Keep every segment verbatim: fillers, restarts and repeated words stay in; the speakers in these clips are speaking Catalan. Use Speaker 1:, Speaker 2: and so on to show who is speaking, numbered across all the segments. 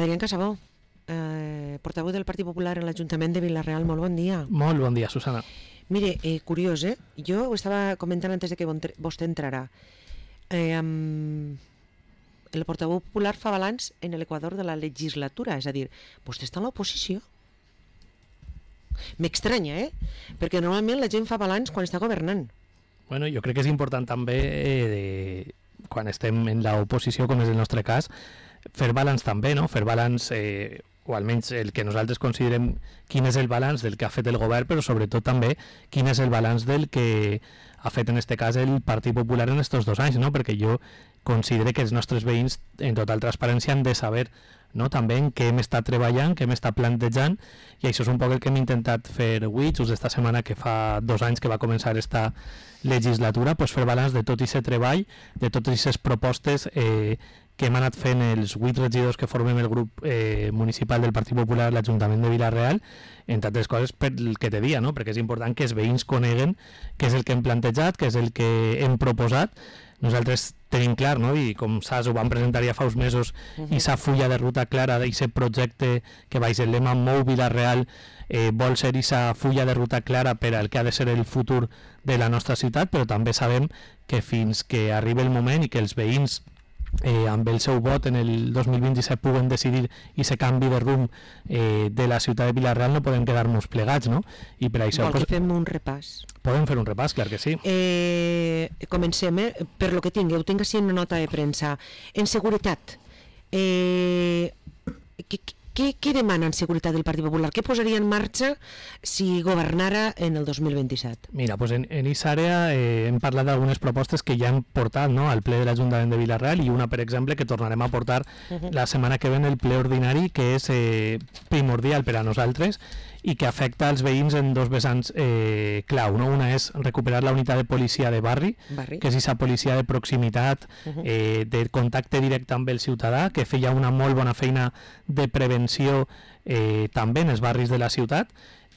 Speaker 1: Adrián Casabó, eh, portaveu del Partit Popular en l'Ajuntament de Vila-real, molt bon dia.
Speaker 2: Molt bon dia, Susana.
Speaker 1: Mire, eh, curiós, eh? Jo ho estava comentant antes de que vostè entrarà. Eh, um, el portaveu popular fa balanç en l'equador de la legislatura, és a dir, vostè està en l'oposició. M'estranya, eh? Perquè normalment la gent fa balanç quan està governant.
Speaker 2: Bueno, jo crec que és important també, eh, de, quan estem en l'oposició, com és el nostre cas, fer balanç també, no? Fer balanç, eh, o almenys el que nosaltres considerem quin és el balanç del que ha fet el govern, però sobretot també quin és el balanç del que ha fet en este cas el Partit Popular en estos dos anys, no? Perquè jo considero que els nostres veïns en total transparència han de saber, no? També en què hem estat treballant, què hem estat plantejant, i això és un poc el que hem intentat fer avui, just esta setmana que fa dos anys que va començar esta legislatura, pues fer balanç de tot aquest treball, de totes aquestes propostes eh, que hem anat fent els vuit regidors que formem el grup eh, municipal del Partit Popular a l'Ajuntament de Vila-real, entre altres coses per el que te dia, no? Perquè és important que els veïns coneguen què és el que hem plantejat, què és el que hem proposat. Nosaltres tenim clar, no? I com saps, ho vam presentar ja fa uns mesos, uh -huh. i sa fulla de ruta clara d'aquest projecte que baix el lema Mou Vila-real eh, vol ser aquesta fulla de ruta clara per al que ha de ser el futur de la nostra ciutat, però també sabem que fins que arribi el moment i que els veïns Eh, amb el seu vot en el dos mil vint-i-set puguen decidir i se canvi de rumb eh, de la ciutat de Vila-real, no podem quedar-nos plegats, no? I per això
Speaker 1: Vol que fem un repàs?
Speaker 2: Podem fer un repàs, clar que sí.
Speaker 1: Eh, comencem, eh? Per lo que tingui, ho tinc així en una nota de premsa. En seguretat, eh, què, què, què demana en seguretat del Partit Popular? Què posaria en marxa si governara en el dos mil vint-i-set?
Speaker 2: Mira, pues en aquesta àrea eh, hem parlat d'algunes propostes que ja hem portat, no?, al ple de l'Ajuntament de Vila-real, i una, per exemple, que tornarem a portar uh -huh. la setmana que ve en el ple ordinari, que és eh, primordial per a nosaltres i que afecta als veïns en dos vessants eh, clau, no? Una és recuperar la unitat de policia de barri, barri. que és aquesta policia de proximitat, uh -huh. eh, de contacte directe amb el ciutadà, que feia una molt bona feina de prevenció eh, també en els barris de la ciutat,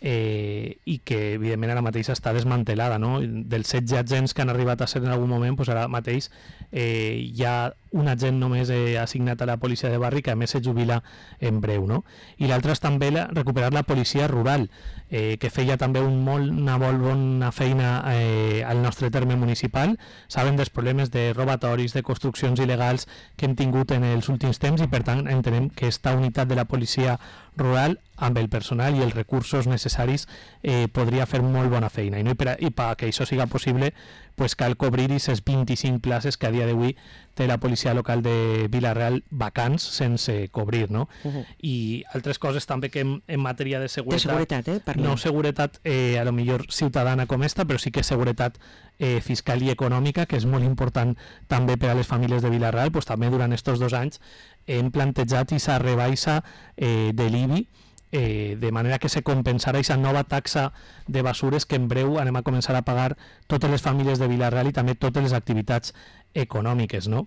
Speaker 2: eh, i que evidentment ara mateix està desmantelada, no? Dels setze agents que han arribat a ser en algun moment, pues ara mateix eh, hi ha un agent només eh, assignat a la policia de barri, que a més se jubila en breu, no? I l'altre és també la, recuperar la policia rural, eh, que feia també un molt, una molt bona feina eh, al nostre terme municipal. Saben dels problemes de robatoris, de construccions il·legals que hem tingut en els últims temps, i per tant entenem que esta unitat de la policia rural, amb el personal i els recursos necessaris, eh, podria fer molt bona feina, i, no? I, per a, i perquè això siga possible, pues cal cobrir aquestes vint-i-cinc places que a dia d'avui té la policia local de Vila-real vacants sense cobrir, no? Uh -huh. I altres coses també que en, en matèria de seguretat,
Speaker 1: de seguretat eh,
Speaker 2: no seguretat eh, a lo millor ciutadana com esta, però sí que seguretat eh, fiscal i econòmica, que és molt important també per a les famílies de Vila-real. Pues també durant estos dos anys hem plantejat aquesta rebaixa eh, de l'I B I, Eh, de manera que se compensarà aquesta nova taxa de basures que en breu anem a començar a pagar totes les famílies de Vila-real i també totes les activitats econòmiques, no?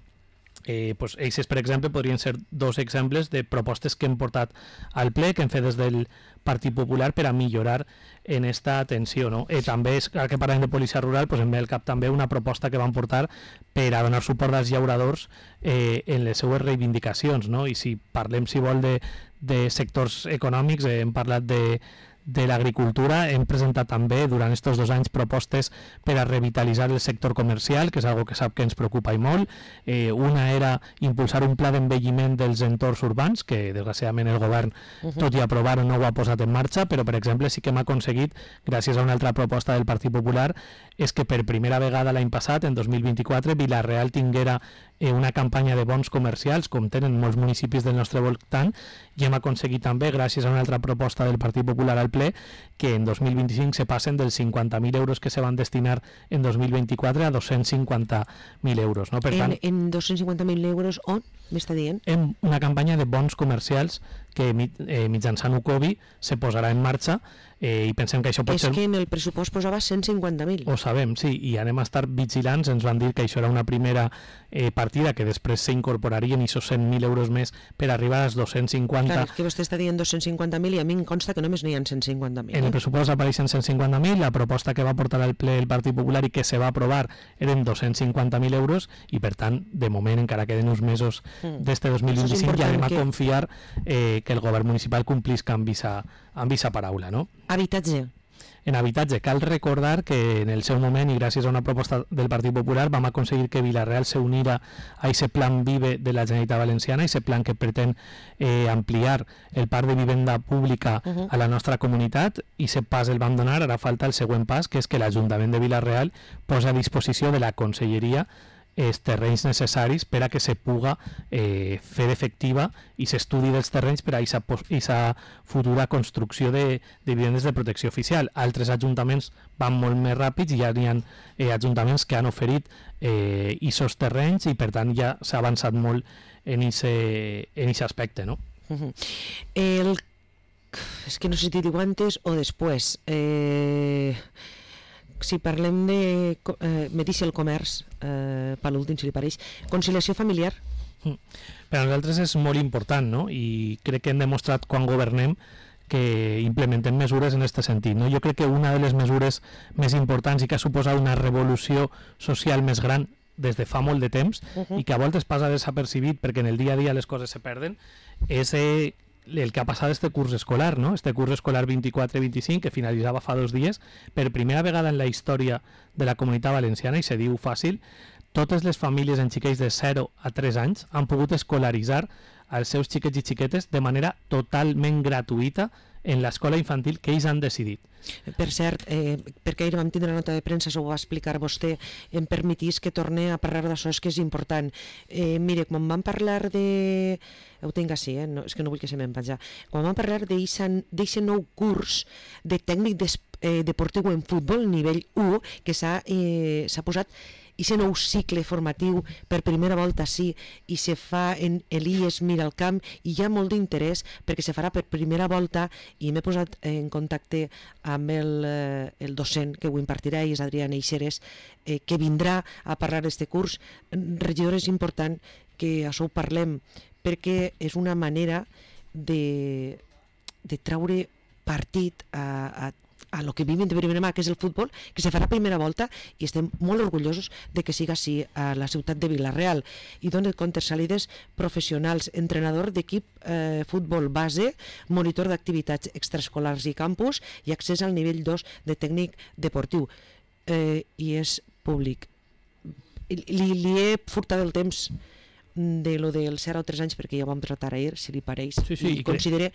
Speaker 2: Eh, pues, aquests, per exemple, podrien ser dos exemples de propostes que hem portat al ple, que hem fet des del Partit Popular per a millorar en esta atenció, no? Eh, també, és, ara que parlem de policia rural, pues em ve al cap també una proposta que van portar per a donar suport als llauradors eh, en les seues reivindicacions, no? I si parlem, si vol, de, de sectors econòmics, eh, hem parlat de de l'agricultura, hem presentat també durant aquests dos anys propostes per a revitalitzar el sector comercial, que és algo que sap que ens preocupa i molt. Eh, una era impulsar un pla d'envelliment dels entorns urbans, que desgraciadament el govern, uh -huh. tot i aprovar-ho, no ho ha posat en marxa, però per exemple sí que hem aconseguit, gràcies a una altra proposta del Partit Popular, és que per primera vegada l'any passat, en dos mil vint-i-quatre, Vila-real tinguera eh, una campanya de bons comercials, com tenen molts municipis del nostre voltant, i hem aconseguit també, gràcies a una altra proposta del Partit Popular al ple, que en dos mil vint-i-cinc se passen dels cinquanta mil euros que se van destinar en dos mil vint-i-quatre a dos-cents cinquanta mil euros. No? Per
Speaker 1: en,
Speaker 2: tant,
Speaker 1: en dos-cents cinquanta mil euros on m'està dient?
Speaker 2: En una campanya de bons comercials que eh, mitjançant U C O B I se posarà en marxa, eh, i pensem que això pot
Speaker 1: és
Speaker 2: ser...
Speaker 1: És que en el pressupost posava cent cinquanta mil.
Speaker 2: Ho sabem, sí, i anem a estar vigilants. Ens van dir que això era una primera eh, partida, que després s'incorporarien aquests cent mil euros més per arribar als dos-cents cinquanta.
Speaker 1: Clar, és que vostè està dient dos-cents cinquanta mil i a mi em consta que només n'hi ha cent cinquanta mil.
Speaker 2: En el pressupost apareixen cent cinquanta mil, la proposta que va portar al ple el Partit Popular i que se va aprovar eren dos-cents cinquanta mil euros, i per tant, de moment encara queden uns mesos mm. d'este dos mil vint-i-cinc i anem a que... confiar eh, que el govern municipal complisca amb visa, amb visa paraula, no?
Speaker 1: Habitatge.
Speaker 2: En habitatge, cal recordar que en el seu moment, i gràcies a una proposta del Partit Popular, vam aconseguir que Vila-real se unira a aquest plan Vive de la Generalitat Valenciana, aquest plan que pretén eh, ampliar el parc de vivenda pública uh -huh. a la nostra comunitat, i aquest pas el vam donar. Ara falta el següent pas, que és que l'Ajuntament de Vila-real posa a disposició de la Conselleria els terrenys necessaris per a que se puga eh, fer efectiva i s'estudi dels terrenys per a aquesta futura construcció de, de vivendes de protecció oficial. Altres ajuntaments van molt més ràpids i ja hi ha eh, ajuntaments que han oferit eh, aquests terrenys i per tant ja s'ha avançat molt en aquest aspecte, no?
Speaker 1: Uh-huh. El... És que no sé si t'hi diu antes o després. Eh... Si parlem de... Eh, me deixa el comerç, eh, per l'últim, si li pareix. Conciliació familiar.
Speaker 2: Mm. Per a nosaltres és molt important, no? I crec que hem demostrat quan governem que implementem mesures en aquest sentit, no? Jo crec que una de les mesures més importants i que ha suposat una revolució social més gran des de fa molt de temps uh -huh. i que a voltes passa desapercibit perquè en el dia a dia les coses se perden, és... Eh, el que ha passat este curs escolar, no? Este curs escolar vint-i-quatre vint-i-cinc, que finalitzava fa dos dies, per primera vegada en la història de la Comunitat Valenciana, i se diu fàcil, totes les famílies en xiquets de zero a tres anys han pogut escolaritzar els seus xiquets i xiquetes de manera totalment gratuïta en l'escola infantil que ells han decidit.
Speaker 1: Per cert, eh, perquè ahir vam tindre una nota de premsa, s'ho va explicar vostè, em permetís que torne a parlar d'això, és que és important. Eh, mire, quan vam parlar de... Ho tinc així, eh? No, és que no vull que se me'n penjar. Quan vam parlar d'aquest nou curs de tècnic des, eh, deportiu en futbol, nivell u, que s'ha eh, posat aquest nou cicle formatiu per primera volta sí, i se fa en l'I E S Miralcamp, i hi ha molt d'interès perquè se farà per primera volta, i m'he posat en contacte amb el, eh, el docent que ho impartirà, i és Adrià Neixeres, eh, que vindrà a parlar d'aquest curs. Regidor, és important que això ho parlem, perquè és una manera de, de treure partit a, a a lo que vivim de primera mà, que és el futbol, que se farà a primera volta, i estem molt orgullosos de que siga així a la ciutat de Vila-real, i dona compte salides professionals, entrenador d'equip eh, futbol base, monitor d'activitats extraescolars i campus, i accés al nivell dos de tècnic deportiu, eh, i és públic. Li, li he furtat el temps de lo del zero a tres anys perquè ja ho vam tratar ahir, si li pareix,
Speaker 2: sí, sí,
Speaker 1: i, i considere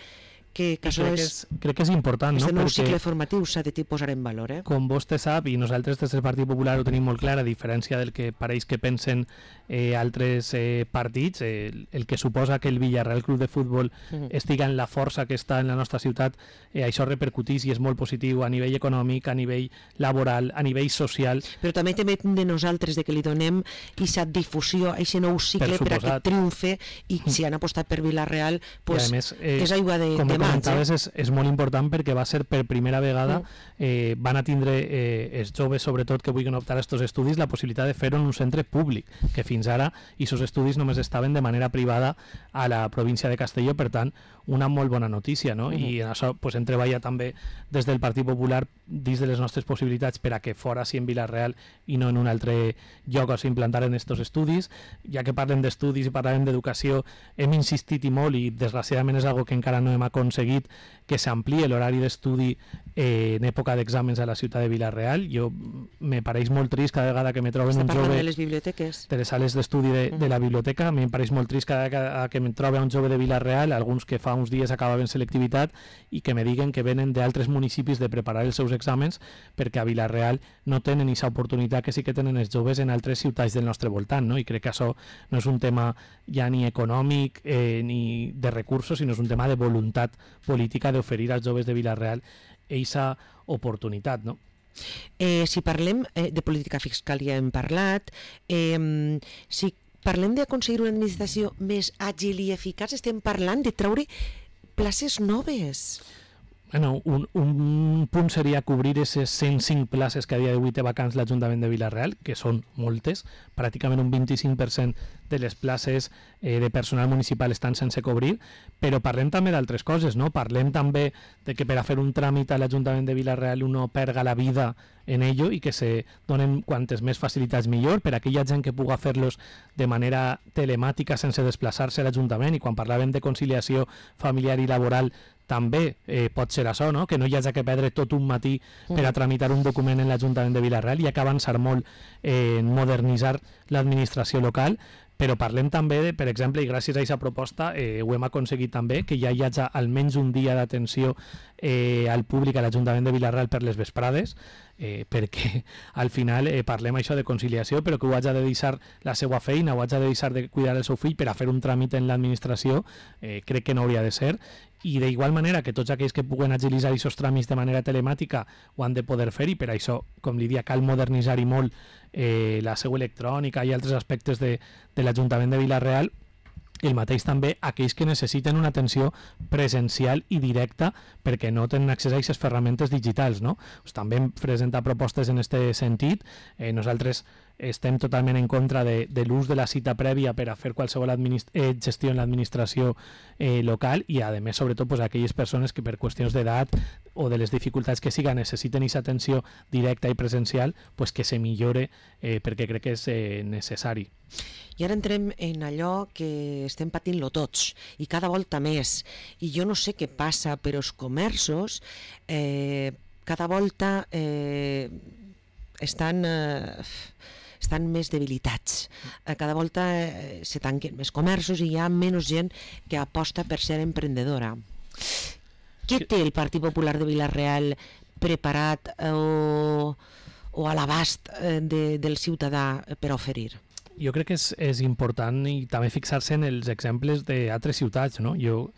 Speaker 1: que, que això
Speaker 2: crec,
Speaker 1: és,
Speaker 2: que és, crec que és important,
Speaker 1: este
Speaker 2: no?
Speaker 1: nou
Speaker 2: Perquè
Speaker 1: cicle formatiu s'ha de posar en valor, eh?
Speaker 2: Com vostè sap, i nosaltres des del Partit Popular ho tenim molt clar, a diferència del que pareix que pensen eh, altres eh, partits, eh, el, el que suposa que el Villarreal Club de Futbol uh -huh. estiga en la força que està en la nostra ciutat, eh, això repercutís i és molt positiu a nivell econòmic, a nivell laboral, a nivell social.
Speaker 1: Però també també de nosaltres, de que li donem aquesta difusió a aquest nou cicle per, per a que triomfe, i si han apostat per Vila-real, pues, més, eh, és aigua de, de mans.
Speaker 2: Eh? És, és molt important perquè va ser per primera vegada mm. eh, van a tindre eh, els joves, sobretot que vulguin optar a aquests estudis, la possibilitat de fer-ho en un centre públic, que fins ara aquests estudis només estaven de manera privada a la província de Castelló, per tant una molt bona notícia, no? Mm. I en això pues, hem treballat també des del Partit Popular dins de les nostres possibilitats per a que fora sí en Vila-real i no en un altre lloc on s'implantaran aquests estudis. Ja que parlem d'estudis i parlem d'educació, hem insistit i molt, i desgraciadament és algo que encara no hem aconseguit, que s'ampliï l'horari d'estudi eh, en època d'exàmens a la ciutat de Vila-real. Jo me pareix molt trist cada vegada que me troben
Speaker 1: Està
Speaker 2: un jove...
Speaker 1: de les biblioteques.
Speaker 2: De les sales d'estudi de, de la biblioteca. A mi em pareix molt trist cada vegada que me trobe un jove de Vila-real, alguns que fa uns dies acabaven selectivitat, i que me diguen que venen d'altres municipis de preparar els seus exàmens perquè a Vila-real no tenen aquesta oportunitat que sí que tenen els joves en altres ciutats del nostre voltant, no? I crec que això no és un tema ja ni econòmic eh, ni de recursos, sinó és un tema de voluntat política d'oferir als joves de Vila-real aquesta oportunitat, no?
Speaker 1: Eh, si parlem eh, de política fiscal, ja hem parlat, eh, si parlem d'aconseguir una administració més àgil i eficaç, estem parlant de treure places noves.
Speaker 2: Bueno, un, un punt seria cobrir aquestes cent cinc places que a dia d'avui té vacants l'Ajuntament de Vila-real, que són moltes, pràcticament un vint-i-cinc per cent de les places eh, de personal municipal estan sense cobrir, però parlem també d'altres coses, no? Parlem també de que per a fer un tràmit a l'Ajuntament de Vila-real uno perga la vida en ello i que se donen quantes més facilitats millor per a aquella gent que puga fer-los de manera telemàtica sense desplaçar-se a l'Ajuntament. I quan parlàvem de conciliació familiar i laboral també eh, pot ser això, no? Que no hi hagi que perdre tot un matí per a tramitar un document en l'Ajuntament de Vila-real i ha que avançar molt eh, en modernitzar l'administració local, però parlem també, de, per exemple, i gràcies a aquesta proposta eh, ho hem aconseguit també, que ja hi hagi almenys un dia d'atenció eh, al públic a l'Ajuntament de Vila-real per les vesprades, eh, perquè al final eh, parlem això de conciliació, però que ho hagi de deixar la seva feina, ho hagi de deixar de cuidar el seu fill per a fer un tràmit en l'administració, eh, crec que no hauria de ser. I d'igual manera que tots aquells que puguen agilitzar aquests tràmits de manera telemàtica ho han de poder fer i per això, com li dia, cal modernitzar i molt eh, la seu electrònica i altres aspectes de, de l'Ajuntament de Vila-real. El mateix també aquells que necessiten una atenció presencial i directa perquè no tenen accés a aquestes ferramentes digitals, no? Pues també hem presentat propostes en aquest sentit. Eh, nosaltres estem totalment en contra de, de l'ús de la cita prèvia per a fer qualsevol eh, gestió en l'administració eh, local i, a més, sobretot, pues, aquelles persones que per qüestions d'edat o de les dificultats que siga necessiten aquesta atenció directa i presencial, pues, que se millore eh, perquè crec que és eh, necessari.
Speaker 1: I ara entrem en allò que estem patint-lo tots, i cada volta més. I jo no sé què passa, però els comerços eh, cada volta eh, estan... Eh, estan més debilitats. Cada volta eh, se tanquen més comerços i hi ha menys gent que aposta per ser emprendedora. Què té el Partit Popular de Vila-real preparat eh, o, o a l'abast eh, de, del ciutadà per oferir?
Speaker 2: Jo crec que és, és important i també fixar-se en els exemples d'altres ciutats, no? Jo,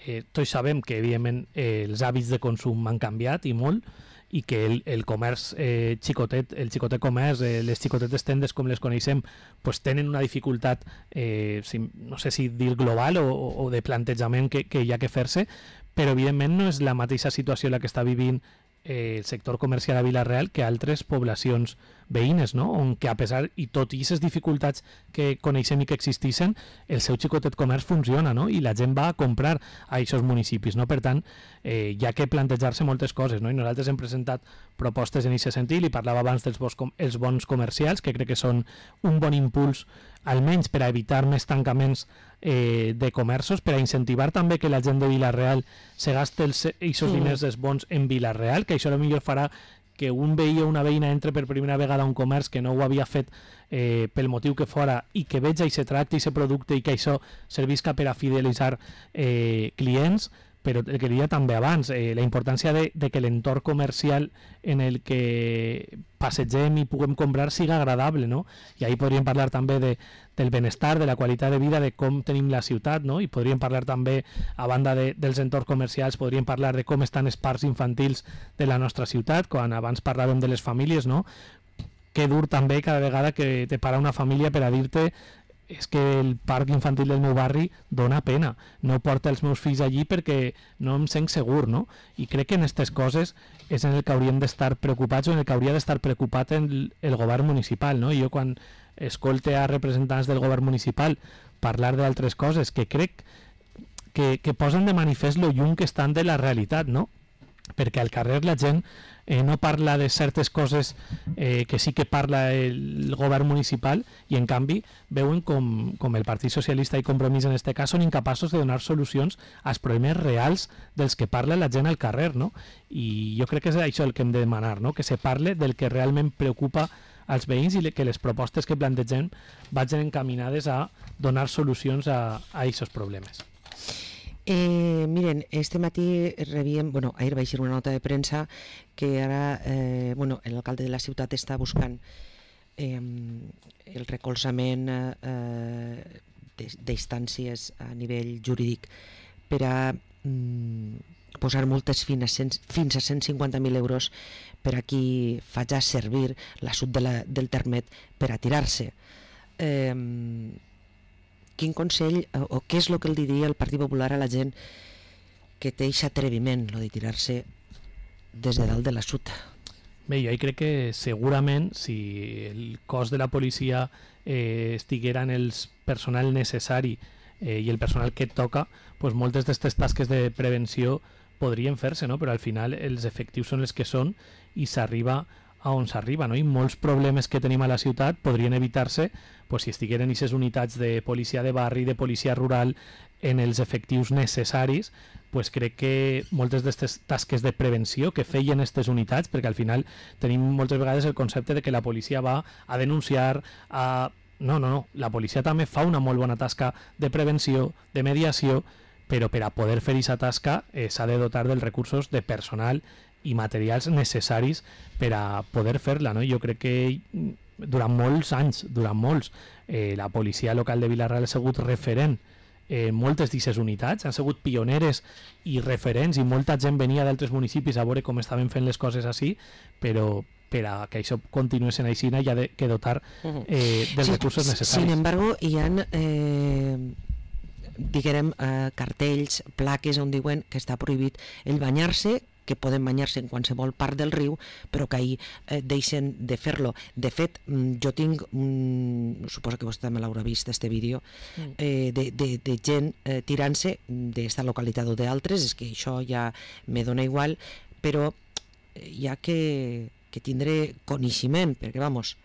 Speaker 2: eh, tots sabem que, evidentment, eh, els hàbits de consum han canviat i molt, i que el, el comerç eh, xicotet, el xicotet comerç, eh, les xicotetes tendes com les coneixem, pues tenen una dificultat, eh, si, no sé si dir global o, o de plantejament que, que hi ha que fer-se, però evidentment no és la mateixa situació la que està vivint eh, el sector comercial a Vila-real que altres poblacions veïnes, no? On que a pesar i tot i aquestes dificultats que coneixem i que existeixen, el seu xicotet comerç funciona, no? I la gent va a comprar a aquests municipis, no? Per tant, eh, hi ha que plantejar-se moltes coses, no? I nosaltres hem presentat propostes en aquest sentit, i parlava abans dels bons, els bons comercials, que crec que són un bon impuls, almenys per a evitar més tancaments eh, de comerços, per a incentivar també que la gent de Vila-real se gaste els eixos sí. diners dels bons en Vila-real, que això potser farà que un veí o una veïna entre per primera vegada a un comerç que no ho havia fet eh, pel motiu que fora i que veja i se tracti i se producte i que això servisca per a fidelitzar eh, clients, però el que diria també abans, eh, la importància de, de que l'entorn comercial en el que passegem i puguem comprar siga agradable, no? I ahí podríem parlar també de, del benestar, de la qualitat de vida, de com tenim la ciutat, no? I podríem parlar també, a banda de, dels entorns comercials, podríem parlar de com estan els parcs infantils de la nostra ciutat, quan abans parlàvem de les famílies, no? Que dur també cada vegada que te para una família per a dir-te és que el parc infantil del meu barri dona pena, no porta els meus fills allí perquè no em sent segur, no? I crec que en aquestes coses és en el que hauríem d'estar preocupats o en el que hauria d'estar preocupat el, el govern municipal, no? I jo quan escolte a representants del govern municipal parlar d'altres coses que crec que, que posen de manifest lo lluny que estan de la realitat, no? Perquè al carrer la gent eh, no parla de certes coses eh, que sí que parla el govern municipal i en canvi veuen com, com el Partit Socialista i Compromís en aquest cas són incapaços de donar solucions als problemes reals dels que parla la gent al carrer, no? I jo crec que és això el que hem de demanar, no? Que se parle del que realment preocupa als veïns i que les propostes que plantegem vagin encaminades a donar solucions a aquests problemes.
Speaker 1: Eh, miren, este matí rebíem, bueno, ahir va eixir una nota de premsa que ara, eh, bueno, l'alcalde de la ciutat està buscant eh, el recolzament eh, d'instàncies a nivell jurídic per a mm, posar multes fins a, cent, fins a cent cinquanta mil euros per a qui faci servir l'assut de la, del termet per a tirar-se. Eh, quin consell o què és el que el diria el Partit Popular a la gent que té aquest atreviment, lo de tirar-se des de dalt de la suta.
Speaker 2: Bé, jo crec que segurament si el cos de la policia eh, estiguera en el personal necessari eh, i el personal que et toca, pues moltes d'aquestes tasques de prevenció podrien fer-se, no? Però al final els efectius són els que són i s'arriba a on s'arriba, no? I molts problemes que tenim a la ciutat podrien evitar-se pues, si estigueren aquestes unitats de policia de barri, de policia rural, en els efectius necessaris, pues crec que moltes d'aquestes tasques de prevenció que feien aquestes unitats, perquè al final tenim moltes vegades el concepte de que la policia va a denunciar, a... No, no, no. La policia també fa una molt bona tasca de prevenció, de mediació, però per a poder fer aquesta tasca eh, s'ha de dotar dels recursos de personal i materials necessaris per a poder fer-la, no? Jo crec que durant molts anys, durant molts, eh, la policia local de Vila-real ha sigut referent en eh, moltes d'aquestes unitats, han sigut pioneres i referents i molta gent venia d'altres municipis a veure com estaven fent les coses així, però per a que això continuï sent així hi ha de, que dotar eh, dels sí, recursos necessaris.
Speaker 1: Sin embargo, hi ha eh, diguem, eh, cartells, plaques on diuen que està prohibit el banyar-se, que poden banyar-se en qualsevol part del riu, però que ahir eh, deixen de fer-lo. De fet, jo tinc, mm, suposo que vostè també l'haurà vist, este vídeo, eh, de, de, de gent eh, tirant-se d'esta localitat o d'altres, és que això ja me dona igual, però hi ha que, que tindre coneixement, perquè, vamos,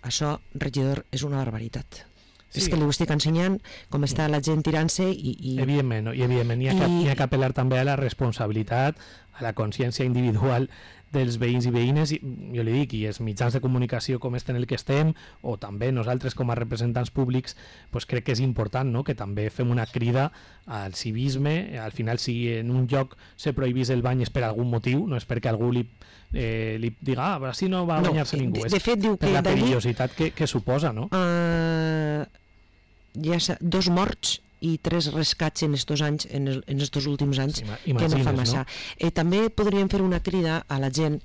Speaker 1: això, regidor, és una barbaritat. Sí. És que li ho estic ensenyant com està la gent tirant-se i... i...
Speaker 2: Evidentment, no? I evidentment hi ha, I... que, hi ha que apel·lar també a la responsabilitat, a la consciència individual dels veïns i veïnes, i jo li dic, i els mitjans de comunicació com este en el que estem, o també nosaltres com a representants públics, pues crec que és important, no?, que també fem una crida al civisme. Al final, si en un lloc se prohibís el bany és per algun motiu, no és perquè algú li, eh, li diga, ah, així no va a banyar-se no, ningú,
Speaker 1: de, de fet, diu
Speaker 2: per
Speaker 1: que
Speaker 2: la perillositat que, que suposa, no?
Speaker 1: Uh, hi ha dos morts i tres rescats en estos anys, en, el, en estos últims anys, sí, que no fa massa. No? Eh, també podríem fer una crida a la gent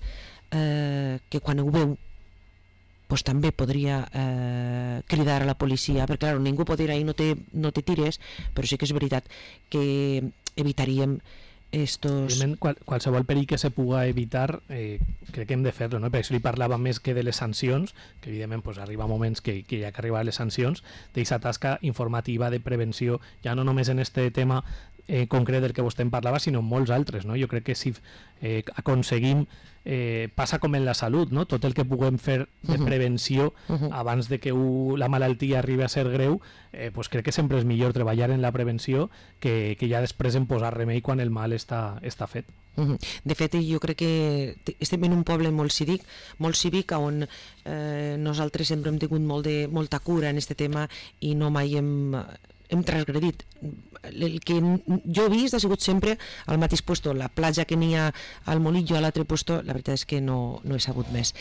Speaker 1: eh, que quan ho veu pues, també podria eh, cridar a la policia, perquè clar, ningú pot dir ahir no te, no te tires, però sí que és veritat que evitaríem estos...
Speaker 2: Qual, qualsevol perill que se puga evitar eh, crec que hem de fer-lo, no? Per això li parlava més que de les sancions, que evidentment pues, arriba moments que, que hi ha que arribar a les sancions, d'aquesta tasca informativa de prevenció, ja no només en este tema eh, concret del que vostè en parlava, sinó en molts altres, no? Jo crec que si eh, aconseguim Eh, passa com en la salut, no? Tot el que puguem fer de prevenció uh -huh. abans de que u, la malaltia arribi a ser greu, eh, pues crec que sempre és millor treballar en la prevenció que, que ja després en posar remei quan el mal està, està fet.
Speaker 1: Uh -huh. De fet, jo crec que estem en un poble molt cívic, molt cívic on eh, nosaltres sempre hem tingut molt de, molta cura en aquest tema i no mai hem... hem transgredit. El que jo he vist ha sigut sempre al mateix puesto, la platja que n'hi ha al Molillo, a l'altre puesto, la veritat és que no, no he sabut més.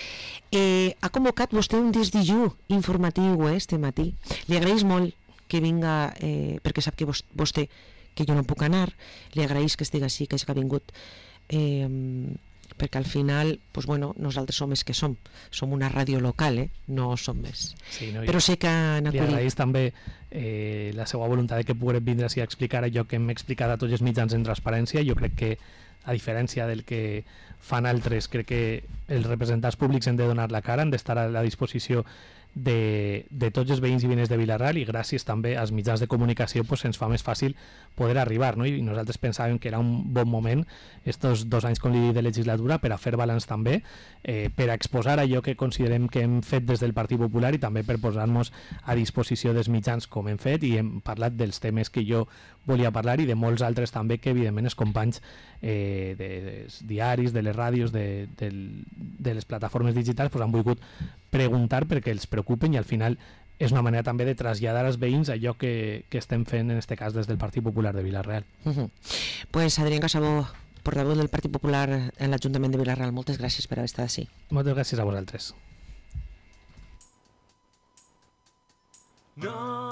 Speaker 1: Eh, ha convocat vostè un desdijú informatiu eh, este matí. Li agraeix molt que vinga, eh, perquè sap que vostè, que jo no puc anar, li agraeix que estigui així, que hagi vingut, eh, perquè al final, pues bueno, nosaltres som els que som, som una ràdio local, eh? No som més.
Speaker 2: Sí, no,
Speaker 1: però sé que han acudit.
Speaker 2: Li agraeix també eh, la seva voluntat de que puguem vindre així a explicar allò que hem explicat a tots els mitjans en transparència. Jo crec que, a diferència del que fan altres, crec que els representants públics han de donar la cara, han d'estar a la disposició de, de tots els veïns i veïnes de Vila-real, i gràcies també als mitjans de comunicació pues, ens fa més fàcil poder arribar, no? I nosaltres pensàvem que era un bon moment estos dos anys, com li dic, de legislatura per a fer balanç també, eh, per a exposar allò que considerem que hem fet des del Partit Popular i també per posar-nos a disposició dels mitjans com hem fet, i hem parlat dels temes que jo volia parlar i de molts altres també que evidentment els companys eh, de, dels diaris, de les ràdios, de, de, de les plataformes digitals pues, han volgut preguntar perquè els preocupen, i al final és una manera també de traslladar als veïns allò que, que estem fent en este cas des del Partit Popular de Vila-real.
Speaker 1: Uh-huh. Pues Adrián Casabó, portaveu del Partit Popular en l'Ajuntament de Vila-real, moltes gràcies per haver estat així.
Speaker 2: Moltes gràcies a vosaltres.
Speaker 3: No.